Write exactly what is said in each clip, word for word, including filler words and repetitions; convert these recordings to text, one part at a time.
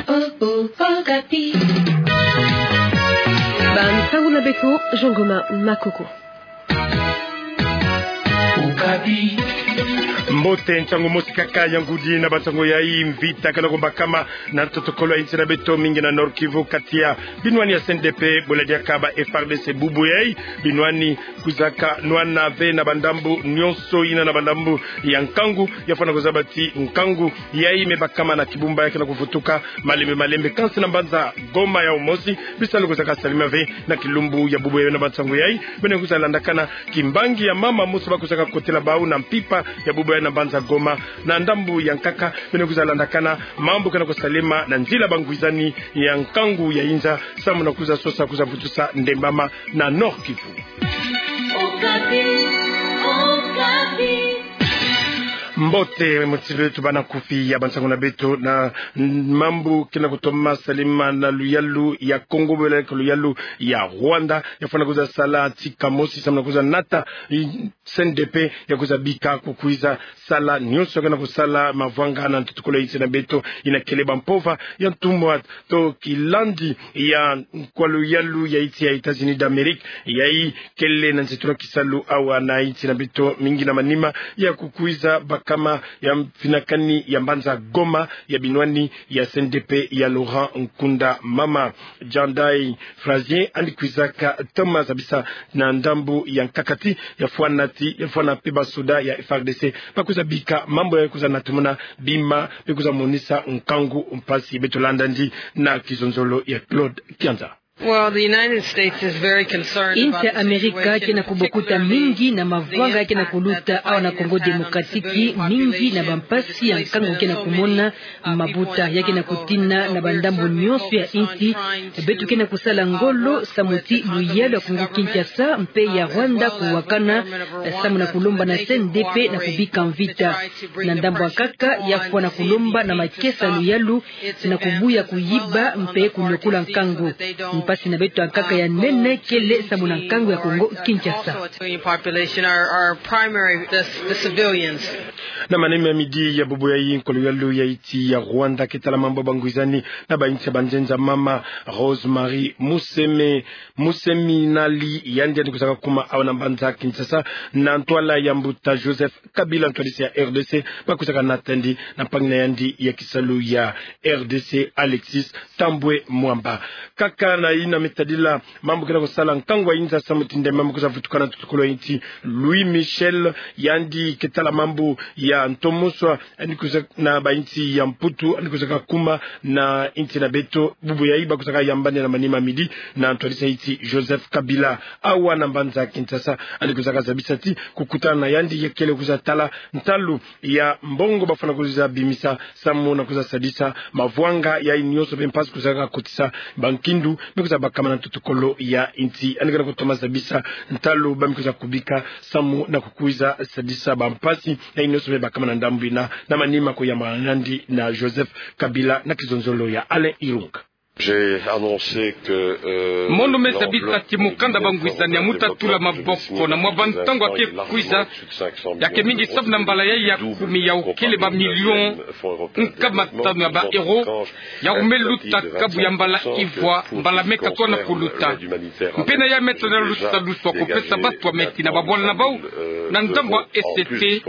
Okapi. Bansango na beto, Jean Goma Makoko. Okapi. Mbote, nsangu mosi kaka ya ngudi na bansangu yai. Mvita kena kubakama na ntoto kolo ya insi na beto, mingi na Nord-Kivu, kati ya binwani ya C N D P, bo ladiaka ba F A R D C bubu yai. Binwani kwizaka nwana ve na bandambu nyonso yina na bandambu ya nkangu, ya fwana kuzaba ti nkangu yai me bakama na kibumba ya kena kuvutuka malembe malembe. Kansi na mbanza Goma yau mosi, bisalu kwizaka salama ve na kilumbu ya bubu yai. Na bansangu yai, beno kwiza landakana kimbangi ya mama mosi ba kwizaka kotela bau na mpimpa ya bubu yai na mbanza Goma. Na ndambu ya nkaka, beno kwiza landakana mambu kena kusalema na nzila bangwizani ya nkangu ya inza, samu na kwiza sosa, kwiza vutusa ndembama na Nord-Kivu. Okapi, Okapi. Mbote, motsi beto bana kufi ya bansangu na beto. Na mambu kena kutoma salema na luyalu ya Congo, bo ladiaka luyalu ya Rwanda, ya fwana kwiza sala tika mosi samu na kwiza nata i-, C N D P ya kwiza bika kukwiza sala nyonso kena kusala mavwanga na ntoto kolo ya insi na beto, yina kele bampova ya ntumwa to kilandi ya nkwa luyalu ya insi ya États-Unis d'Amérique, yai kele na nsi tuna kisalu awa na insi na beto, mingi na manima ya kukwiza bakama ya mfinakani ya mbanza Goma ya binwani ya C N D P ya Laurent Nkunda. Mama Jandai Frazier, yandi kwizaka toma zabisa na ndambu ya nkaka ti ya fwana ti, ya fwana mpe basoda ya F A R D C ba kwiza bika mambu ya kwiza natumuna bima, be kwiza monisa nkangu mpasi. Beto landa yandi na kizonzolo ya Claude Kianza. Well, the United States is very concerned about the situation, particularly the impact that that has had on the people. Insi ya Amerika kena kubokuta mingi na mavwanga kena kuluta awa na Congo Démocratique, mingi na bampasi ya nkangu kena kumona mabuta ya kena kutina na bandambu nyonso ya insi. Beto kena kusala ngolo samu ti luyalu ya Congo Kinshasa mpe ya Rwanda kuwakana, samu na kulomba na C N D P na kubika mvita. Na ndambu ya nkaka, ya fwana kulomba na makesa luyalu na kubuya kuyiba mpe kuniokola nkangu. Mpasi na beto ya nkaka ya nene kele samu na nkangu ya Congo Kinshasa. Na manima ya midi ya bubu yai, nkwa luyalu ya insi ya Rwanda ke tala mambu ya bangwizani na bainsi ya banzenza mama Rosemary Museme, Museminali, yandi, yandi kwizaka kuma awa na mbanza Kinshasa na ntwala ya mbuta Joseph Kabila, ntwadisi ya R D C, ba kwizaka nata yandi na mpangi na yandi ya kisalu ya R D C, Alexis Thambwe Mwamba. Kaka na yina me tadila mambu kena kusala nkangu ya inza samu ti ndembama kwiza vutuka na ntoto kolo ya insi, Louis Michel, yandi ke tala mambu ya ntomoso, yandi kwiza na bainsi ya Mputu, yandi kwizaka kuma na insi na beto bubu yai, ba kwizaka yambana na manima ya midi na ntwadisi ya insi Joseph Kabila awa na mbanza Kinshasa. Yandi kwizaka zabisa ti kukutana na yandi ya kele kwiza tala ntalu ya mbongo ba fwana kwiza bimisa samu na kwiza sadisa mavwanga yai nyonso mpe mpasi kwizaka kotisa bankindu me kwiza bakama na ntoto kolo ya insi. Yandi kena kutoma zabisa ntalu ba me kwiza kubika samu na kukwiza sadisa bampasi yai nyonso me bakama na ndambu yina, na manima kuyamba na yandi na Joseph Kabila na kizonzolo ya Alain Irunga. Mono me zabisa ti mukanda bangwizani ya muta tula maboko na mwa bantangu ya ke kwiza, ya ke mingi samu na mbala yai ya kumi, yau kele ba million nkama tanu ya ba euro, yau me luta kabu ya mbala ivwa, mbala me katwa na kuluta. Mpe na yai me tala lusadusu ya kupesa batu ya meti na babwala na bau na ndambu ya E C T,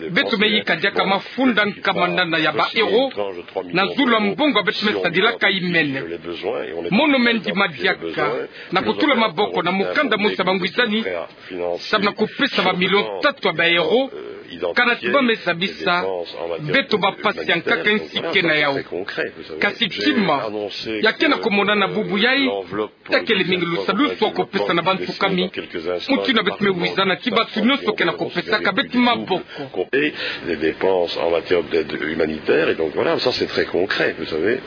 beto me yika diaka mafunda nkama nana ya ba euro na zulu ya mbongo ya beto me sadilaka imene. Mono me ndima diaka na kutula maboko na mukanda mosi ya bangwizani samu na kupesa ba million tatu ya ba euro, kana ti ba me zabisa beto bampasi ya nkaka insi ke na yau. Kasi tima ya kena kumonana bubu yai, ya kele mingi lusadusu ya kupesa na bantu kami, mutindu beto me wizana ti bantu nyonso kena kupesaka beto maboko. Et des dépenses en matière d'aide humanitaire, et donc voilà, ça c'est très concret, vous savez.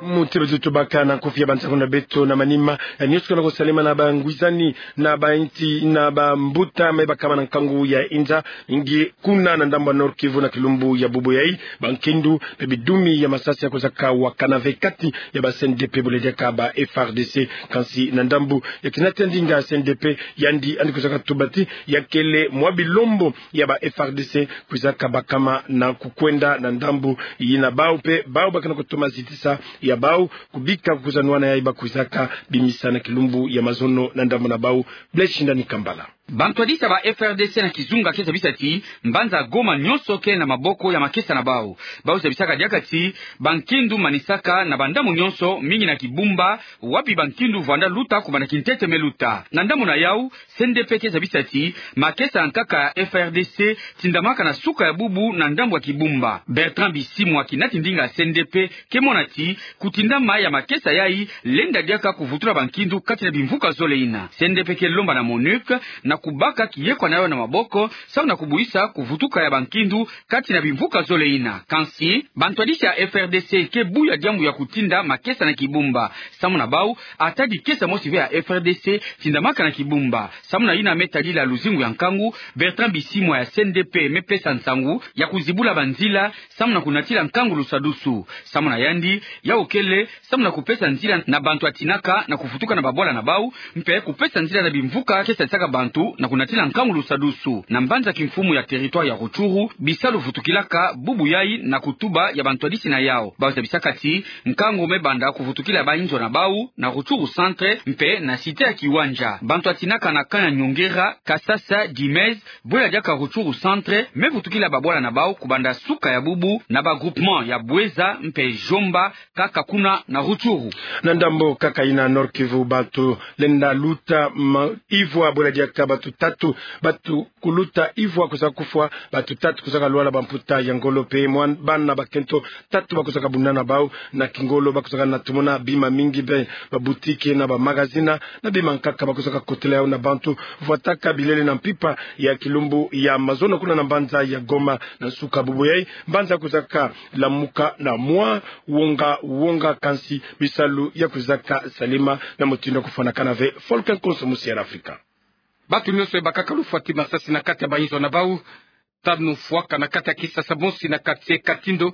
Muti beto tubaka na nkufi ya bansangu na beto na manima ya nionso kana kosalema na bangwizani na bainti na bambuta me bakama na nkangu ya inza, mingi kuna na ndambu ya Nord-Kivu na kilumbu ya bubu yai, bankindu pe bidumi ya masasi ya kwizaka wakana ve kati ya ba C N D P bole diaka ba F R D C. Kansi na ndambu ya kinati ya ndinga C N D P, yandi yandi kwizaka tuba ti ya kele mwa bilombo ya ba F R D C kwizaka bakama na kukwenda na ndambu yina. Bau pe bau bakana kutoma zitisa ya bau kubika kwiza nwana yai ba kwizaka bimisa na kilumbu ya mazono na ndambu na bau. Blaise Shindani Kambala. Bantwadisi ya ba F R D C na kizunga ke zabisa ti mbanza Goma nionso ke na maboko ya makesa na bau. Bau zabisaka diaka ti bankindu manisaka na bandambu nionso, mingi na Kibumba, wapi bankindu vwanda luta kubanda kintete me luta. Na ndambu na yau, C N D P ke zabisa ti makesa ya nkaka ya F R D C tindamaka na suka ya bubu na ndambu ya Kibumba. Bertrand Bisimwa, kinati ndinga ya C N D P, ke mona ti kutindama ya makesa yai lenda diaka kuvutula bankindu kati na bimvuka zole yina. C N D P ke lomba na MONUC na kubaka kiyekwa na yau na maboko, samu na kubwisa kuvutuka ya bankindu kati na bimvuka zole yina. Kansi bantwadisi ya F R D C ke buya diambu ya kutinda makesa na Kibumba. Samu na bau, ata dikesa mosi ve ya F R D C tindamaka na Kibumba. Samu na yina me tadila luzingu ya nkangu, Bertrand Bisimwa ya C N D P me pesa nsangu ya kuzibula banzila samu na kunatila nkangu lusadusu. Samu na yandi, yau kele samu na kupesa nzila na bantu ya tinaka na kuvutuka na babwala na bau, mpe kupesa nzila na bimvuka ke sadisaka bantu na kunatila nkangu lusadusu. Na mbanza kimfumu ya territoire ya Rutshuru, bisalu vutukilaka bubu yai na kutuba ya bantwadisi na yau. Bau zabisaka ti nkangu me banda kuvutukila ba inzo na bau na Rutshuru centre mpe na cité ya Kiwanja. Bantu ya tinaka na camp ya Nyongera, Kasasa, Dimez, bwela diaka Rutshuru centre, me vutukila babwala na bau kubanda suka ya bubu na ba groupement ya Bweza mpe Jomba, kaka kuna na Rutshuru. Na ndambu kaka yina Nord-Kivu, bantu lenda luta ma-, ivwa, bwela diaka bantu tatu, bantu kuluta ivwa kwiza kufwa, bantu tatu kwizaka lwala bamputa ya ngolo mpe mwa bana bakento tatu ba kwizaka bundana bau na kingolo. Ba kwizaka na tumona bima mingi mpe ba boutique na ba magazine na bima nkaka ba kwizaka kotela yau na bantu vwataka bilele na mpimpa ya kilumbu ya mazono kuna na mbanza ya Goma na nsuka bubu yai. Mbanza kwizaka lamuka na mwa wonga wonga, kansi bisalu ya kwizaka salema na mutindu ya kufwanakana ve. Volker Konso, musi ya Afrika. Bantu nionso bakaka lufwa ti masasi na kati ya ba inzo na bau. Tanu fwaka na kati ya kisasa mosi na quartier Katindo,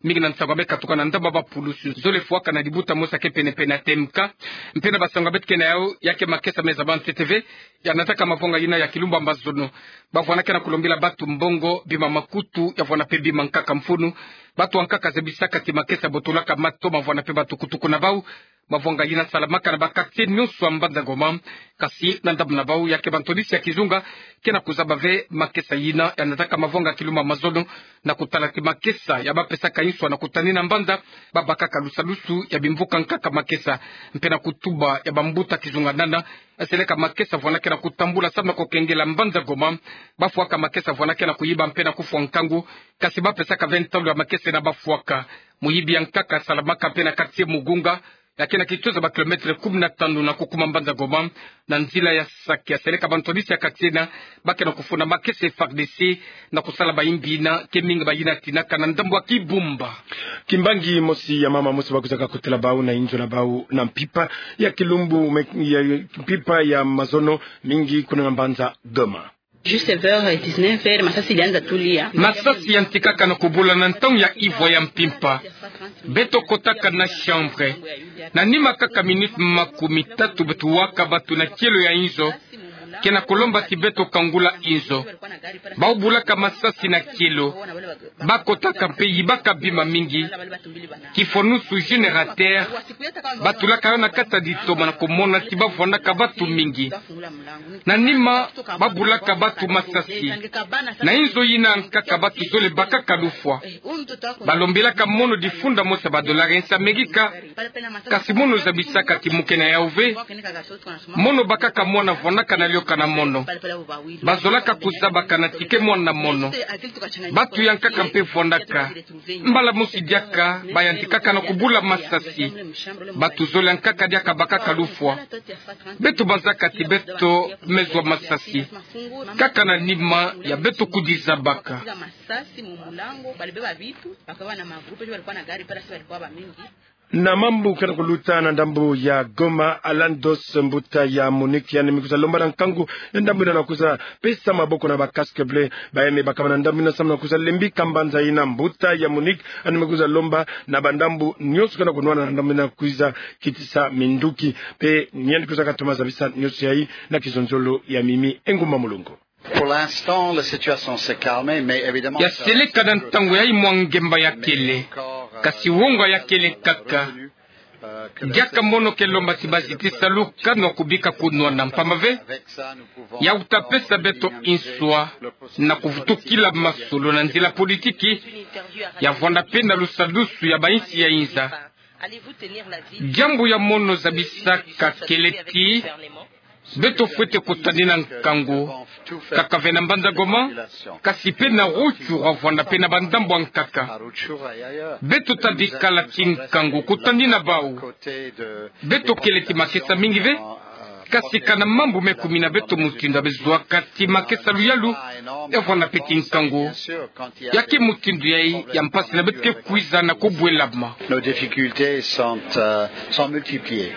mingi na nsangu ya me katuka na ndambu ya ba pulusu. Zole fwaka na libuta mosi ya ke pene-pene ya T M K. Mpe na bansangu ya beto ke na yau, ya ke makesa meza ba ntete ve ya nataka mavwanga yina ya kilumbu ya mazono. Ba vwanda ke na kulombila bantu mbongo, bima makutu, ya vwanda mpe bima nkaka mfunu. Bantu ya nkaka zabisaka ti makesa botolaka matoma, vwanda mpe batukutuku na bau. Mavwanga yina salamaka na ba quartier nionso ya mbanza Goma. Kansi na ndambu na bau, ya ke bantwadisi ya kizunga ke na kuzaba ve makesa yina ya nataka mavwanga ya kilumbu ya mazono, na kutala ti makesa ya ba pesaka inso na kutanina mbanza, ba bakaka lusadusu ya bimvuka nkaka makesa. Mpe na kutuba ya bambuta kizunga nana, ya seleka makesa vwanda ke na kutambula samu na kukengela mbanza Goma. Ba fwaka makesa vwanda ke na kuyiba mpe na kufwa nkangu. Kansi ba pesaka ve ntalu ya makesa yina ba fwaka. Muyibi ya nkaka salamaka mpe na quartier Mugunga, ya ke na kituza ba kilomètre kumi na tanu na kukuma mbanza Goma, na nzila ya Sake. Ya seleka bantwadisi ya quartier yina, ba ke na kufunda makesa F A R D C na kusala bayimbi yina, ke mingi bayina tinaka na ndambu ya Kibumba. Kimbangi mosi ya mama mosi ba kwizaka kotela bau na inzo na bau na mpimpa ya kilumbu me-, ya mpimpa ya mazono, mingi kuna na mbanza Goma. Juste vers dix-neuf heures, masasi yantikaka na kubula na ntangu ya ivwa ya mpimpa. Beto kotaka na chambre. Na nima kaka minute makumi tatu beto waka bantu na kielo ya inzo, ke na kulomba ti beto kangula inzo. Bau bulaka masasi na kielo. Ba kotaka mpe yibaka bima mingi. Kifonusu générateur, ba tulaka yo na kati ya litoma na kumona ti ba vwandaka bantu mingi. Na nima, ba bulaka bantu masasi. Na inzo yina nkaka bantu zole bakaka lufwa. Ba lombelaka mono difunda mosi ya ba dollars nsi Amerika. Kansi mono zabisaka ti muke na yau ve. Mono bakaka mwana vwandaka na lioka na mono. Ba zolaka kuzabaka na ti ke mwana mono. Bantu ya nkaka mpe vwandaka. Mbala mosi diaka, ba yantikaka na kubula masasi. Bantu zole ya nkaka diaka bakaka lufwa. Beto banzaka ti beto me zwa masasi kaka na nima ya beto kudizabaka. Na mambu ke na kuluta na ndambu ya Goma, Alan Dos, mbuta ya MONUC, yandi me kwiza lomba na nkangu na ndambu yina na kwiza pesa maboko na ba casque bleu, baye me bakama na ndambu yina samu na kwiza lembi ka mbanza yina. Mbuta ya MONUC yandi me kwiza lomba na bandambu nyonso ke na kunwana na ndambu yina kwiza kitisa minduki. Mpe yandi kwiza katoma zabisa nyonso yayi na kizonzolo ya Mimi Engumba Mulongo. Pour l'instant, la situation s'est calmée, mais évidemment, ya seleka na ntangu yayi mwa ngemba ya kele, kasi wonga ya kele kaka. Diaka mono ke lomba ti bazi ti salu kanwa kubika kunwana, mpamba ve ya uta pesa beto nswa na kuvutukila masolo na nzila politiki, ya vwanda mpe na lusadusu ya bayinsi ya inza. Diambu ya mono zabisaka kele ti beto fwete kutani na nkangu, kaka ve na mbanza Goma, kasi mpe na Rutshuru, vwanda mpe na bandambu ankaka. Beto ta bikala tinkangu kutani na bau. Beto kele ti makesa mingi ve, kasi kana mambu me kumina beto mutindu ya bezoaka ti makesa luyalu, ya vwanda mpe tinkangu. Ya ke mutindu yayi ya mpasi na beto ke kwiza na kubwelama. Nos difficultés sont, euh, sont multipliées.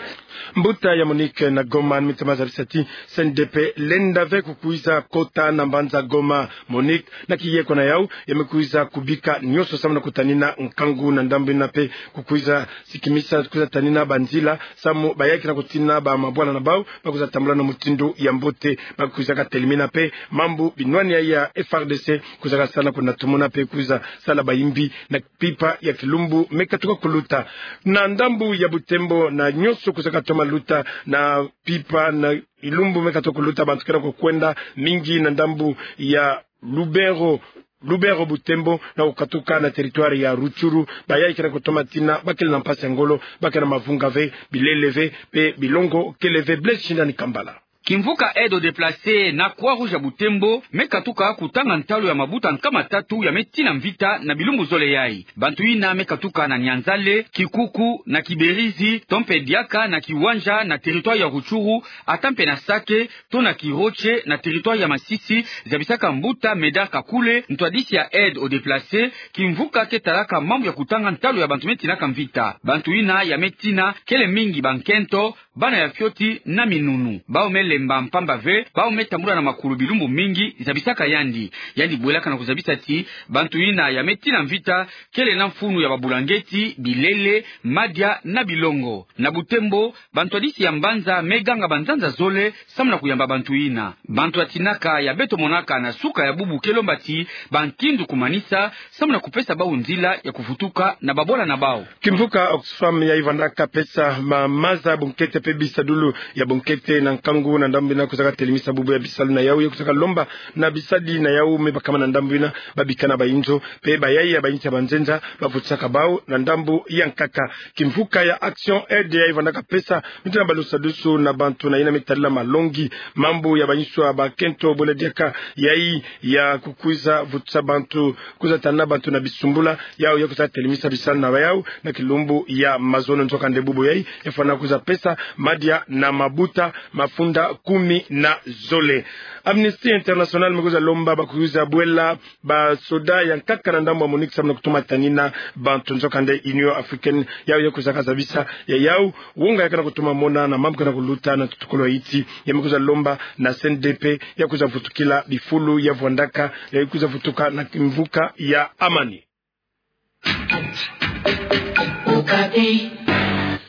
Mbuta ya MONUC na Goma yandi me toma zabisa ti C N D P lenda ve kukwiza kota na mbanza Goma. MONUC na kiyeko na yau, ya me kwiza kubika nyonso samu na kutanina nkangu na ndambu yina mpe kukwiza sikimisa, kwiza tanina banzila samu bayayi ke na kutina ba mabwala na bau ba kwiza tambula na mutindu ya mbote. Ba kwiza katelemina mpe mambu binwani ya F R D C kwiza kasala kuna tumona mpe kwiza sala bayimbi na mpimpa ya kilumbu me katuka kuluta. Na ndambu ya Butembo na nyonso kwiza katoma luta na mpimpa na kilumbu me katuka kuluta, bantu ke na kukwenda mingi na ndambu ya Lubero, Lubero Butembo, na kukatuka na territoire ya Rutshuru. Bayayi ke na kutoma tina bakele na mpasi ya ngolo, bakele na mavunga ve, bilele ve, mpe bilongo kele ve. Blaise Shindani Kambala. Kimvuka Aide aux Déplacés na Croix-Rouge ya Butembo me katuka kutanga ntalu ya mabuta nkama tatu ya me tina mvita na bilumbu zole yayi. Bantu yina me katuka na Nyanzale, Kikuku, na Kiberizi, to mpe diaka na Kiwanja na territoire ya Rutshuru, ata mpe na Sake, to na Kiroche na territoire ya Masisi, zabisaka mbuta Médard Kakule, ntwadisi ya Aide aux Déplacés, kimvuka ke talaka mambu ya kutanga ntalu ya bantu me tinaka mvita. Bantu yina ya me tina kele mingi bankento, bana ya fioti na minunu. Bau me lemba mpamba ve bau me tambula na makulu bilumbu mingi, zabisaka yandi. Yandi bwelaka na kuzabisa ti bantu yina ya me tina mvita kele na mfunu ya babulangeti, bilele, madia na bilongo. Na Butembo, bantwadisi ya mbanza me ganga banzanza zole samu na kuyamba bantu yina. Bantu ya tinaka ya beto monaka na suka ya bubu ke lomba ti bankindu kumanisa samu na kupesa bau nzila ya kuvutuka na babwala na bau. Kimvuka Oxfam yayi vandaka pesa ma maza bunkete mpe bisadulu ya bunkete na nkangu na ndambu yina kuzaka telemisa bubu ya bisalu na yau, ya kuzaka lomba na bisadi na yau me bakama na ndambu yina babika na bayinzo mpe bayayi ya bayinsi ya banzenza bavutisaka bau na ndambu ya nkaka. Kimvuka ya Action Aide yayi vandaka pesa mutindu ya balusadusu na bantu na yina me tadila malongi, mambu ya banswa, bakento, bwela diaka yayi ya kukwiza vutisa bantu, kwiza tana bantu na bisumbula, yau ya kwiza telemisa bisalu na yau na kilumbu ya mazono. Nzokande bubu yayi ya fwana kwiza pesa madia na mabuta mafunda kumi na zole. Amnesty International me kwiza lomba bakwiza bwela basoda ya nkaka na ndambu ya MONUC samu na kutuma tanina bantu. Nzokande Union Africaine yau ya kwiza kazabisa ya yau wonga ya kana kutuma mona na mambu kana kuluta na tutukulu ya Haïti, ya me kwiza lomba na C N D P ya kwiza vutukila bifulu ya vwandaka, ya kwiza vutuka na kimvuka ya amani.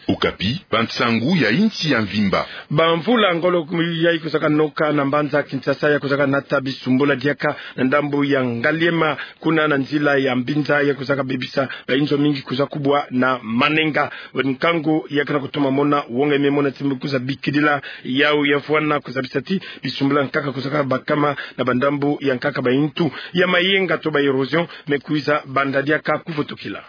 Okapi, bansangu ya insi ya mvimba. Bamvula ngolo yayi kwizaka noka na mbanza Kinshasa ya kwizaka nata bisumbula diaka na ndambu ya Ngaliema, kuna na nzila ya Mbinza ya kwizaka bebisa bayinzo mingi kwiza kubwa na manenga. Nkangu ya kana kutuma mona wonga me mona ti me kwiza bikidila yau ya fwana kwiza bisa ti bisumbula nkaka kwizaka bakama na bandambu ya nkaka, bayintu ya mayenga to ba érosion me kwiza banda diaka kuvutukila.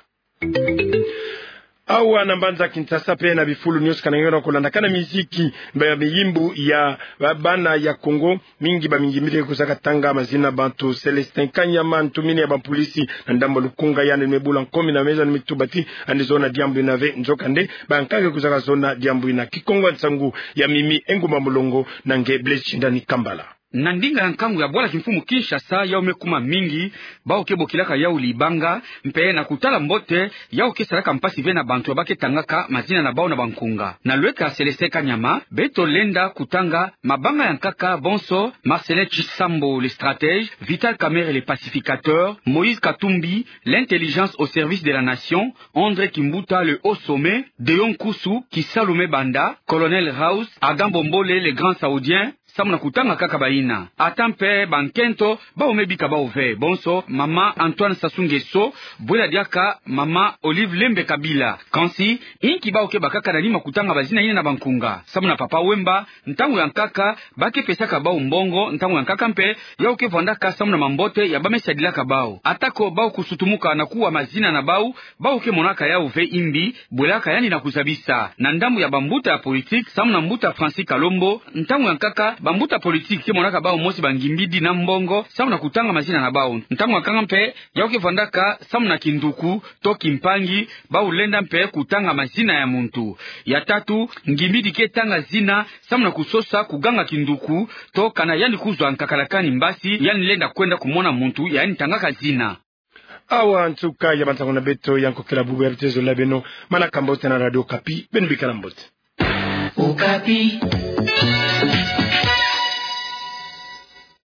Awa na mbanza Kinshasa mpe na bifulu nyonso kana nge na kulanda kana miziki, ba miyimbu ya ba-, bana ya Kongo, mingi bamingi mire kwizaka tanga mazina bantu. Célestin Kanyama, ntumini ya bampulisi na ndambu ya Lukunga, yandi me bula nkomi na meza ni mituba ti yandi zona diambu yina ve. Nzokande bankaka kwizaka zona diambu yina. Kikongo ya nsangu ya Mimi Engumba Mulongo na nge Blaise Shindani Kambala. Na ndinga ya nkangu ya bwala kimfumu Kinshasa, yau me kuma mingi bau ke bokilaka yau libanga, mpe na kutala mbote, yau ke salaka mpasi ve na bantu ya ba ke tangaka mazina na bau na bankunga. Na lweka Célestin Kanyama, beto lenda kutanga mabanga ya nkaka bonso: Marcellin Tshisambo, le stratège, Vital Kamerhe, le pacificateur, Moïse Katumbi, l'intelligence au service de la nation, André Kimbuta, le haut sommet, Deon Kusu, Kisalu me Banda, Colonel House, Adam Bombole, le grand saoudien, samu na kutanga kaka bayina. Ata mpe bankento bau me bika bau ve, bonso mama Antoine Sassou Nguesso, bwela diaka mama Olive Lembe Kabila. Kansi, inki bau ke bakaka na ni ma kutanga bazina yina na bankunga? Samu na Papa Wemba, ntangu ya nkaka ba ke pesaka bau mbongo, ntangu ya nkaka mpe yau ke vwandaka samu na mambote ya ba me sadilaka bau. Atako bau kusutumuka na kuwa mazina na bau, bau ke monaka yau ve imbi, bwelaka yandi na kuzabisa. Na ndambu ya bambuta ya politique, samu na mbuta Francis Kalombo, ntangu ya nkaka bambuta politique ke monaka bau mosi bangimbidi na mbongo samu na kutanga mazina na bau. Ntangu ya nkaka mpe yau ke vwandaka samu na kinduku to kimpangi, bau lenda mpe kutanga mazina ya muntu. Ya tatu, ngimbidi ke tanga zina samu na kusosa kuganga kinduku, to kana yandi kuzwa nkakalakani mbasi, yandi lenda kwenda kumona muntu ya yandi tangaka zina. Awa nsuka ya bansangu na beto ya nkokela bubu ya bitezo la beno. Manaka mbote na Radio Okapi, beno bikala mbote. Okapi.